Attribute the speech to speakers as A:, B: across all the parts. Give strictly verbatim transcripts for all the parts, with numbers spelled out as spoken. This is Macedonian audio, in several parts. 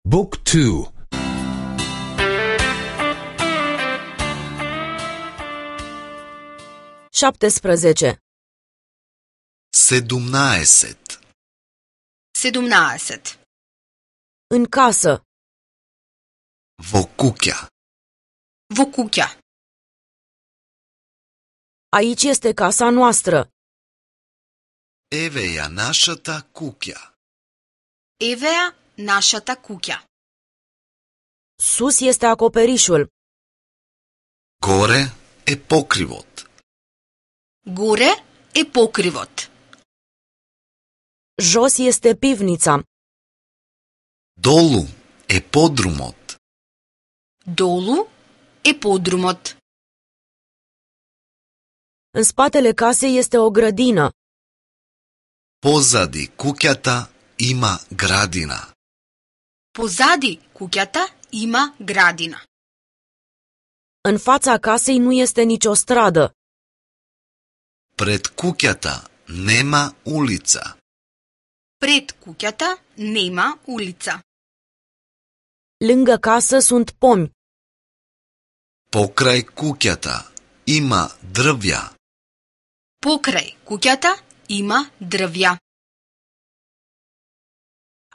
A: Book two.
B: șaptesprezece.
C: Sedumnaesет.
D: Sedumnaesет.
B: În casă.
C: Во куќа.
D: Во куќа.
B: Aici este casa noastră.
C: Еве ја нашата куќа.
D: Еве ја нашата куќа.
B: Sus este acoperișul.
C: Горе е покривот.
D: Горе е покривот.
B: Jos este pivnița.
C: Долу е подрумот.
D: Долу е подрумот.
B: În spatele casei este o grădină.
C: Позади куќата има градина.
D: Позади куќата има градина.
B: În fața casei nu este nicio stradă.
C: Пред куќата нема улица.
D: Пред куќата нема улица.
B: Lângă casă sunt pomi.
C: Покрај куќата има дрвја.
D: Покрај куќата има дрвја.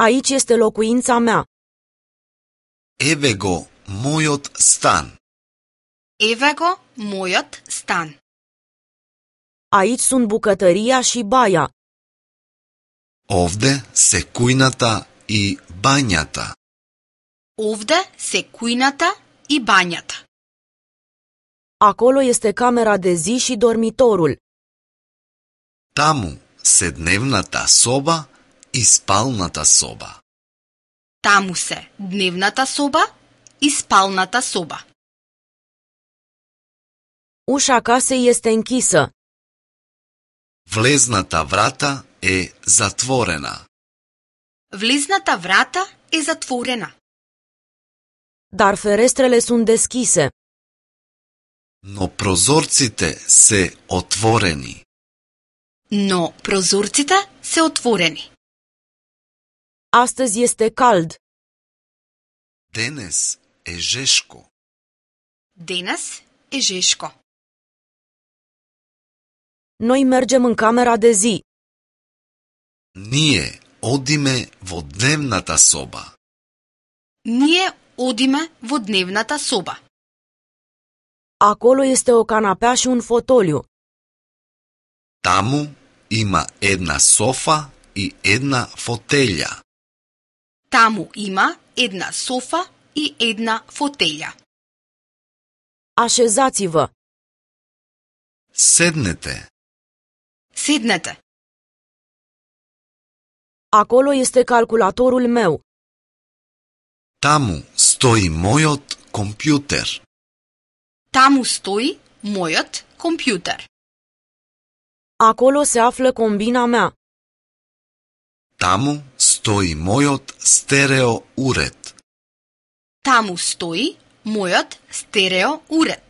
B: Aici este locuința mea.
C: Еве го мојот стан.
D: Еве го мојот стан.
B: Aici sunt bucătăria și baia.
C: Овде се кујната и бањата.
D: Овде се кујната и бањата.
B: Acolo este camera de zi și dormitorul.
C: Таму се дневната соба и спалната соба.
D: Таму се дневната соба и спалната соба.
B: Ușa casei este închisă.
C: Влезната врата е затворена.
D: Влезната врата е затворена.
B: Dar ferestrele sunt deschise.
C: Но прозорците се отворени.
D: Но прозорците се отворени.
B: Astăzi este cald.
C: Денес е жешко.
D: Денес е жешко.
B: Noi mergem în camera de zi.
C: Ние одиме во дневната соба.
D: Ние одиме во дневната соба.
B: Acolo este o canapea și un fotoliu.
C: Таму има една софа и една фотелја.
D: Таму има една софа и една фотелја.
B: Așezați-vă.
C: Седнете.
D: Седнете.
B: Acolo este calculatorul meu.
C: Таму стои мојот компјутер.
D: Таму стои мојот компјутер.
B: Acolo se află combina mea.
C: Таму стои мојот стерео уред.
D: Таму стои мојот стерео уред.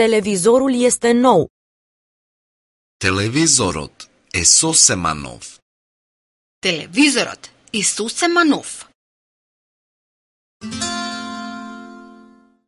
B: Televizorul este nou.
C: Телевизорот е сосема нов.
D: Телевизорот е сосема нов.